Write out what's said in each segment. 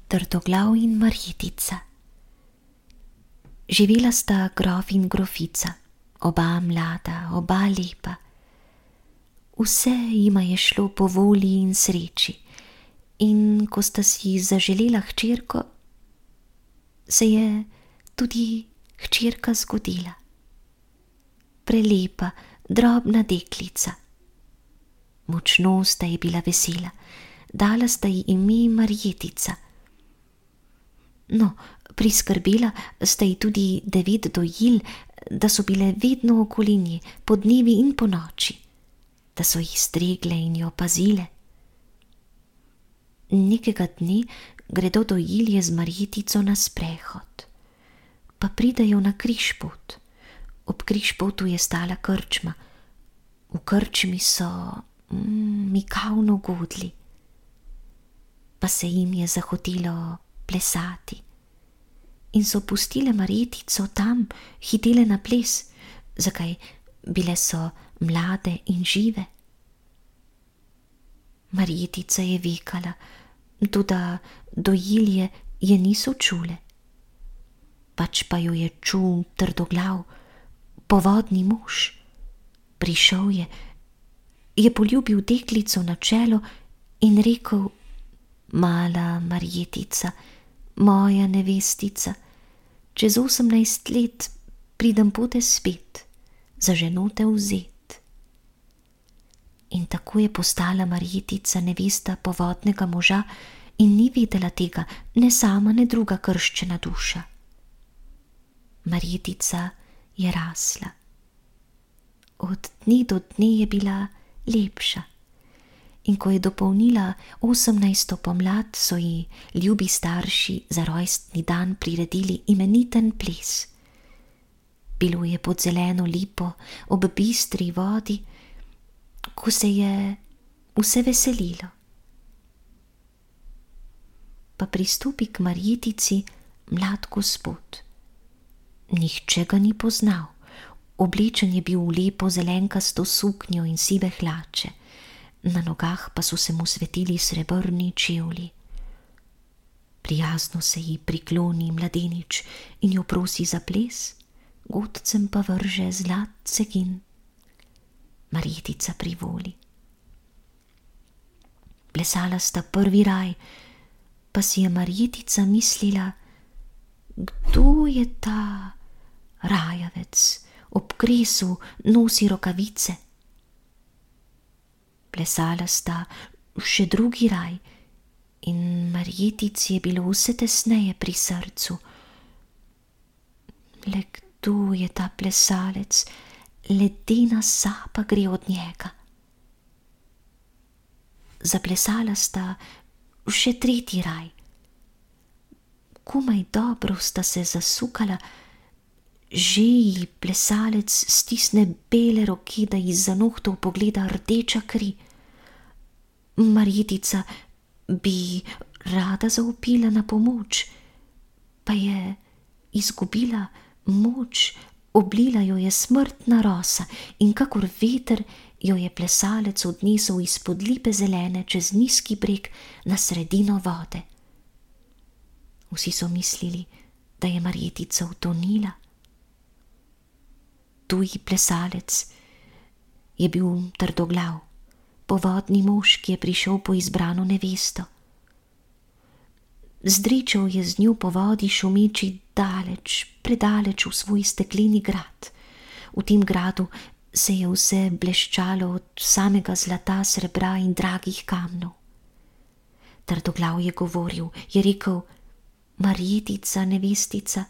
Trdoglav in Marjetica. Živela sta grof in grofica, oba mlada, oba lepa. Vse jima je šlo po volji in sreči, in ko sta si zaželela hčerko, se je tudi hčerka zgodila. Prelepa, drobna deklica. Močno sta ji bila vesela, dala sta ji ime Marjetica. No, priskrbela sta ji tudi 9 dojil, da so bile vedno okoli nje, po dnevi in po noči, da so jih stregle in jo pazile. Nekega dne gredo dojilje z Marjetico na sprehod, pa pridejo na križpot. Ob križpotu je stala krčma, v krčmi so mikavno godli, pa se jim je zahotelo plesati in so pustile Marjetico tam, hitele na ples, zakaj bile so mlade in žive. Marjetica je vekala, toda dojilje je niso čule, pač pa jo je čul Trdoglav, povodni mož. Prišel je poljubil deklico na čelo in rekel: Mala Marjetica, moja nevestica, čez 18 let pridem pote spet, za ženo te vzet. In tako je postala Marjetica nevesta povodnega moža in ni vedela tega ne sama, ne druga krščena duša. Marjetica je rasla. Od dne do dne je bila lepša. In ko je dopolnila 18. pomlad, so ji ljubi starši za rojstni dan priredili imeniten ples. Bilo je pod zeleno lipo, ob bistri vodi, ko se je vse veselilo. Pa pristopi k Marjetici mlad gospod. Nihče ga ni poznal, oblečen je bil v lepo zelenkasto suknjo in sive hlače, na nogah pa so se mu svetili srebrni čevlji. Prijazno se ji prikloni mladenič in jo prosi za ples, godcem pa vrže zlat cegin. Marjetica privoli. Plesala sta prvi raj, pa si je Marjetica mislila, kdo je ta rajavec, ob kresu nosi rokavice. Plesala sta še drugi raj in Marjetici je bilo vse tesneje pri srcu. Le kdo je ta plesalec, ledena sapa gre od njega. Zaplesala sta še tretji raj. Komaj dobro sta se zasukala, že ji plesalec stisne bele roke, da ji za nohtov pogleda rdeča kri. Marjetica bi rada zavpila na pomoč, pa je izgubila moč, oblila jo je smrtna rosa in kakor veter jo je plesalec odnesel izpod lipe zelene čez nizki breg na sredino vode. Vsi so mislili, da je Marjetica utonila. Tuji plesalec je bil Trdoglav, povodni mož, ki je prišel po izbrano nevesto. Zdričal je z njo po vodi šumeči daleč, predaleč v svoj stekleni grad. V tem gradu se je vse bleščalo od samega zlata, srebra in dragih kamnov. Trdoglav je govoril, je rekel: Marjetica, nevestica,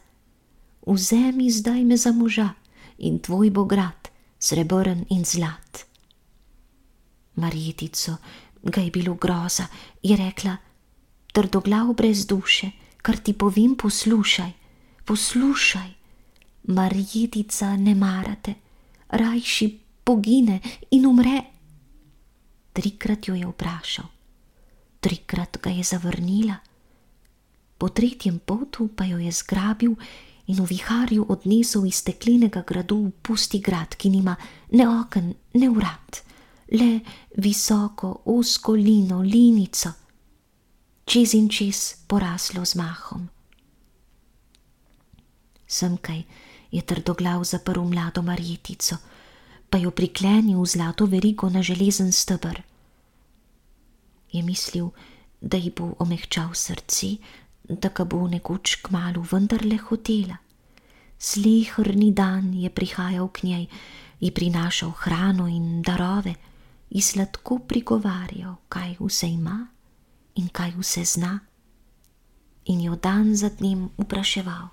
vzemi zdaj me za moža in tvoj bo grad, srebrn in zlat. Marjetico ga je bilo groza, je rekla: Trdoglav brez duše, kar ti povem, poslušaj, poslušaj. Marjetica ne marate, rajši pogine in umre. 3-krat jo je vprašal, 3-krat ga je zavrnila. Po 3. potu pa jo je zgrabil in v viharju odnesel iz steklenega gradu v pusti grad, ki nima ne oken, ne vrat, le visoko, ozko lino, linico. čez in čez poraslo z mahom. Semkaj je trdoglav zaprl mlado Marjetico, pa jo priklenil v zlato verigo na železen steber. Je mislil, da ji bo omehčal srce, da ga bo nekoč kmalu vendarle hotela. Sleherni dan je prihajal k njej, ji prinašal hrano in darove, ji sladko prigovarjal, kaj vse ima in kaj vse zna. In jo dan za dnem vpraševal: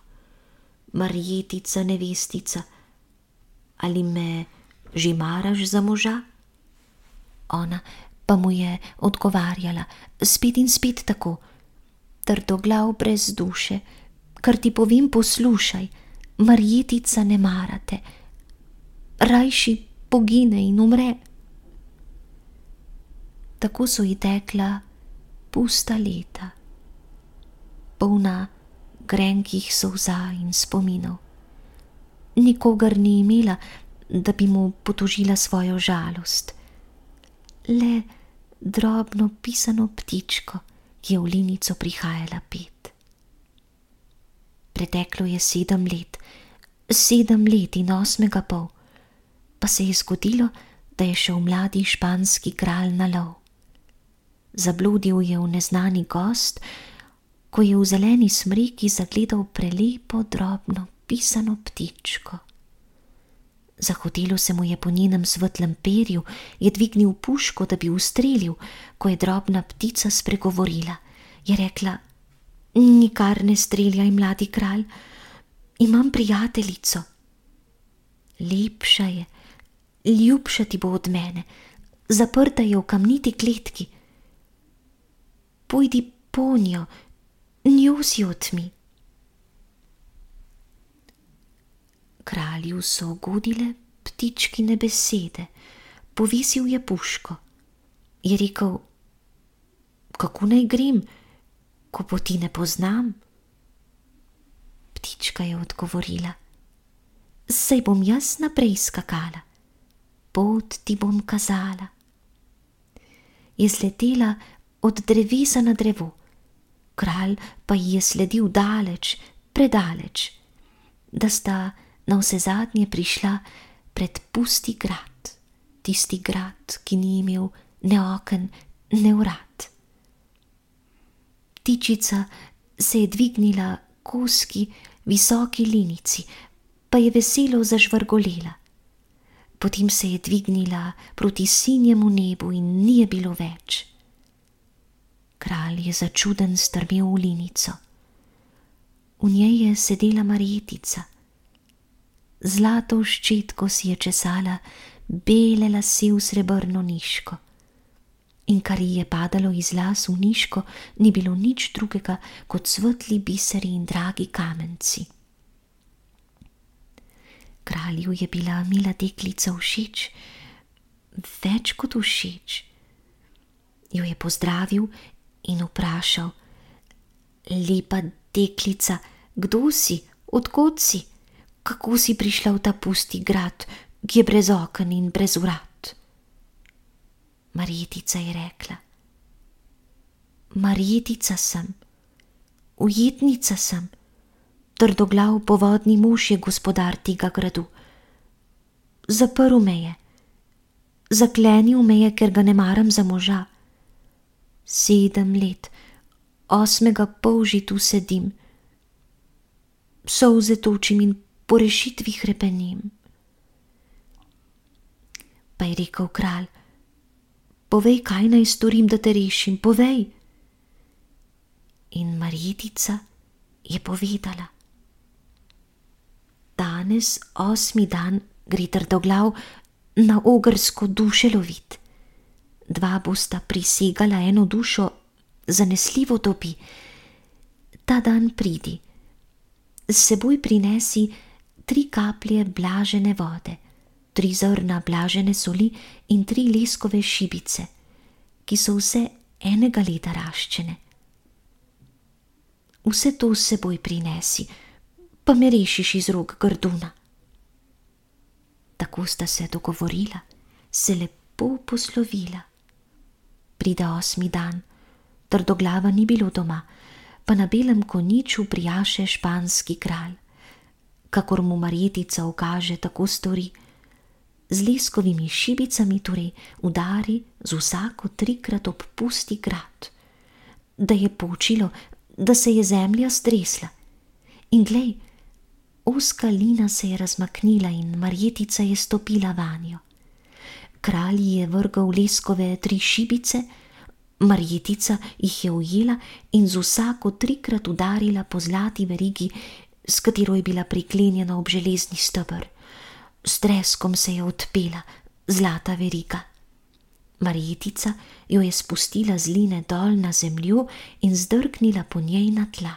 Marjetica, nevestica, ali me že maraš za moža? Ona pa mu je odgovarjala spet in spet tako: Trdoglav brez duše, kar ti povem, poslušaj, Marjetica ne marate, rajši pogine in umre. Tako so ji tekla pusta leta, polna grenkih solza in spominov. Nikogar ni imela, da bi mu potožila svojo žalost. Le drobno pisano ptičko, ki je v linico prihajala pet. Preteklo je 7 let, 7 let in 8,5, pa se je zgodilo, da je šel mladi španski kralj na lov. Zabludil je v neznani gozd, ko je v zeleni smreki zagledal prelepo drobno pisano ptičko. Zahotelo se mu je po njenem svetlem perju, je dvignil puško, da bi ustrelil, ko je drobna ptica spregovorila. Je rekla: Nikar ne streljaj, mladi kralj, imam prijateljico. Lepša je, ljubša ti bo od mene, zaprta je v kamniti kletki. Pojdi po njo, njo si otmi. Kralju so ugodile ptičkine besede, povisil je puško. Je rekel: Kako naj grem, ko poti ne poznam? Ptička je odgovorila: Saj bom jaz naprej skakala, pot ti bom kazala. Je sletela od drevesa na drevo, kralj pa ji je sledil daleč, predaleč, da sta navsezadnje prišla pred pusti grad, tisti grad, ki ni imel ne oken, ne vrat. Ptičica se je dvignila koski visoki linici, pa je veselo zažvrgolela. Potem se je dvignila proti sinjemu nebu in ni je bilo več. Kralj je začuden strmel v linico. V njej je sedela Marjetica. Zlato ščetko si je česala bele lase v srebrno niško. In kar ji je padalo iz las v niško, ni bilo nič drugega kot svetli biseri in dragi kamenci. Kralju je bila mila deklica všeč, več kot všeč. Jo je pozdravil in vprašal: Lepa deklica, kdo si, od kod si, kako si prišla v ta pusti grad, ki je brez oken in brez vrat? Marjetica je rekla: Marjetica sem, ujetnica sem, trdoglav povodni mož je gospodar tega gradu. Zaprl me je, zaklenil me je, ker ga ne maram za moža. 7 let, 8,5 že tu sedim, solze točim in po rešitvi hrepenim. Pa je rekel kralj: Povej, kaj naj storim, da te rešim, povej. In Marjetica je povedala: Danes, 8. dan, gre trdoglav na ogrsko duše lovit. 2 bosta prisegala eno dušo, zanesljivo dobi. Ta dan pridi, s seboj prinesi 3 kaplje blažene vode, 3 zrna blažene soli in 3 leskove šibice, ki so vse enega leta raščene. Vse to s seboj prinesi, pa me rešiš iz rok grduna. Tako sta se dogovorila, se lepo poslovila. Pride 8. dan, Trdoglava ni bilo doma, pa na belem konjiču prijaše španski kralj. Kakor mu Marjetica ukaže, tako stori. Z leskovimi šibicami torej udari z vsako 3-krat ob pusti grad, da je počilo, da se je zemlja stresla. In glej, ozka lina se je razmaknila in Marjetica je stopila vanjo. Kralj je vrgal leskove 3 šibice, Marjetica jih je ujela in z vsako 3-krat udarila po zlati verigi, s katero je bila priklenjena ob železni steber. S treskom se je odpela zlata veriga. Marjetica jo je spustila z line dol na zemljo in zdrknila po njej na tla.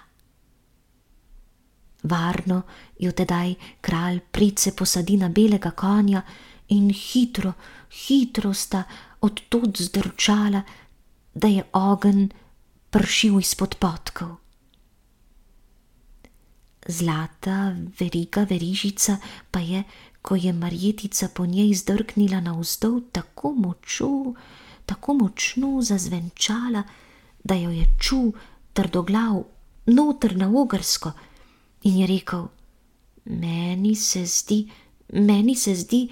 Varno jo tedaj kralj price posadi na belega konja in hitro, hitro sta od tod zdrčala, da je ogenj pršil izpod podkov. Zlata veriga verižica pa je, ko je Marjetica po njej zdrknila navzdol, tako močno zazvenčala, da jo je čul Trdoglav noter na Ogrsko in je rekel: Meni se zdi,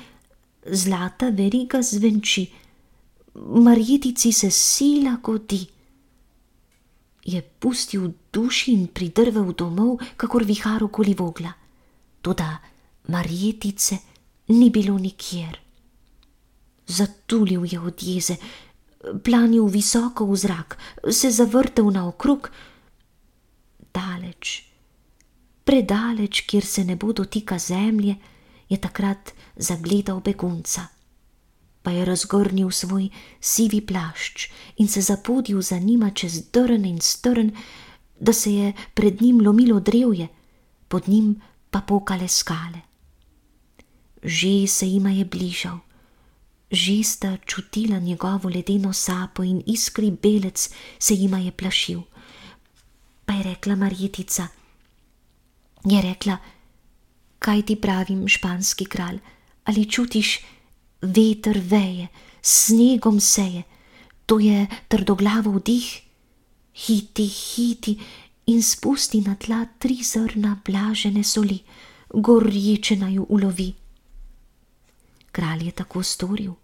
zlata veriga zvenči, Marjetici se sila godi. Je pustil duši in pridrvel domov, kakor vihar okoli Vogla. Toda Marjetice ni bilo nikjer. Zatulil je od jeze, planil visoko v zrak, se zavrtel naokrog. Daleč, predaleč, kjer se ne bo dotika zemlje, je takrat zagledal begunca. Pa je razgrnil svoj sivi plašč in se zapodil za njima čez drn in strn, da se je pred njim lomilo drevje, pod njim pa pokale skale. Že se jima je bližal, že sta čutila njegovo ledeno sapo in iskri belec se jima je plašil. Pa je rekla Marjetica, kaj ti pravim, španski kralj, ali čutiš, veter veje, snegom seje, to je Trdoglavov dih. Hiti in spusti na tla 3 zrna blažene soli, gorječe naju ulovi. Kralj je tako storil.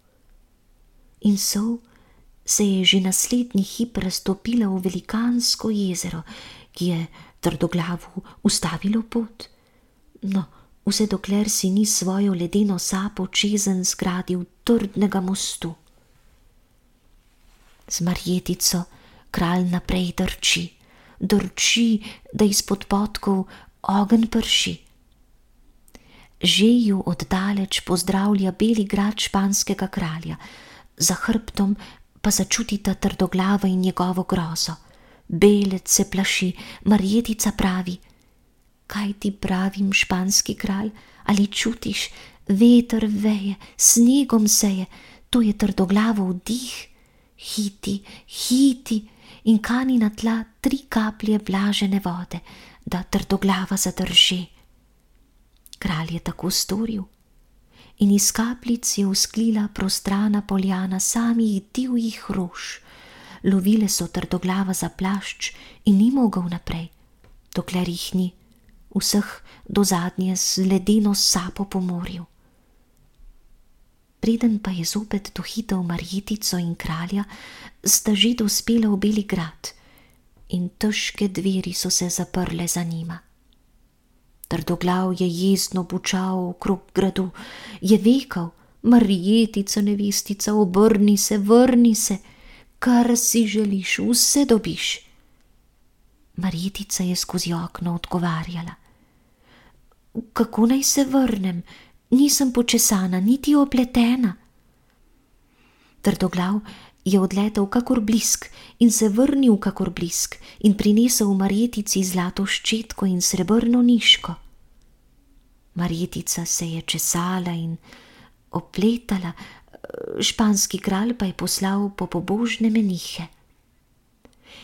In sol se je že naslednji hip raztopila v velikansko jezero, ki je Trdoglavu ustavilo pot. No, vse dokler si ni svojo ledeno sapo čezenj zgradil trdnega mostu. Z Marjetico kralj naprej drči, da izpod podkov ogenj prši. Že ju oddaleč pozdravlja beli grad španskega kralja, za hrbtom pa začutita Trdoglava in njegovo grozo. Belec se plaši, Marjetica pravi: Kaj ti pravim, španski kralj, ali čutiš, veter veje, snegom seje, to je Trdoglavov dih. Hiti in kani na tla 3 kaplje vlažene vode, da Trdoglava zadrži. Kralj je tako storil in iz kapljic je vzklila prostrana poljana samih divjih rož. Lovile so Trdoglava za plašč in ni mogel naprej, dokler jih ni, vseh do zadnje z ledeno sapo po morju. Preden pa je zopet dohitel Marjetico in kralja, sta že dospela v beli grad in težke dveri so se zaprle za njima. Trdoglav je jezno bučal okrog gradu, je vekal: Marjetica, nevestica, obrni se, vrni se, kar si želiš, vse dobiš. Marjetica je skozi okno odgovarjala: Kako naj se vrnem, nisem počesana, niti opletena. Trdoglav je odletel kakor blisk in se vrnil kakor blisk in prinesel Marjetici zlato ščetko in srebrno niško. Marjetica se je česala in opletala, španski kralj pa je poslal po pobožne menihe.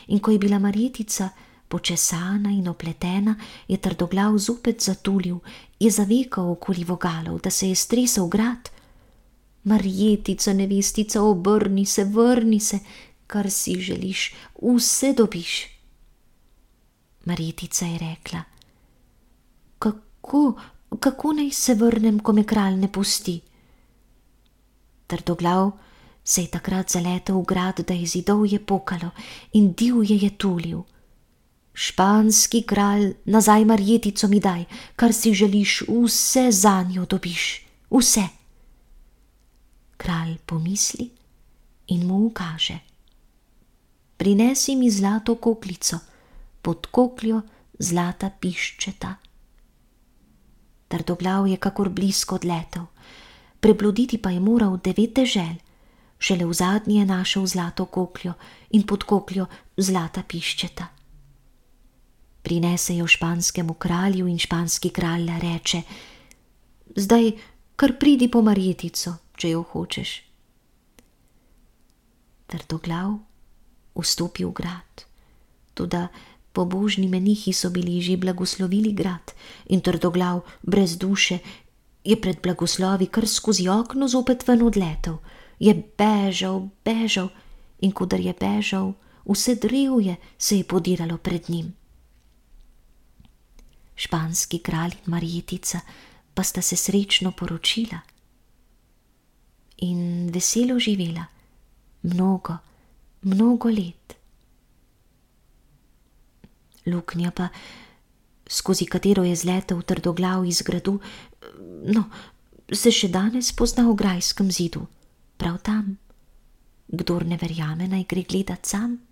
In ko je bila Marjetica počesana in opletena, je Trdoglav zopet zatulil, je zavekal okoli vogalov, da se je stresel grad. Marjetica, nevestica, obrni se, vrni se, kar si želiš, vse dobiš. Marjetica je rekla: Kako naj se vrnem, ko me kralj ne pusti? Trdoglav se je takrat zaletel v grad, da je zidovje pokalo in divje je tulil: Španski kralj, nazaj Marjetico mi daj, kar si želiš, vse zanjo dobiš, vse. Kralj pomisli in mu ukaže: Prinesi mi zlato koklico, pod kokljo zlata piščeta. Trdoglav je kakor blisko odletel, prebloditi pa je moral 9 dežel, šele v zadnji je našel zlato kokljo in pod kokljo zlata piščeta. Prinese jo španskemu kralju in španski kralj reče: Zdaj kar pridi po Marjetico, če jo hočeš. Trdoglav vstopi v grad, toda pobožni menihi so bili že blagoslovili grad in Trdoglav brez duše je pred blagoslovi kar skozi okno zopet ven odletel. Je bežal in kodar je bežal, vse drevje se je podiralo pred njim. Španski kralj in Marjetica pa sta se srečno poročila in veselo živela mnogo let. Luknja pa, skozi katero je zletel Trdoglav iz gradu, se še danes pozna v grajskem zidu, prav tam. Kdor ne verjame, naj gre gledat sam.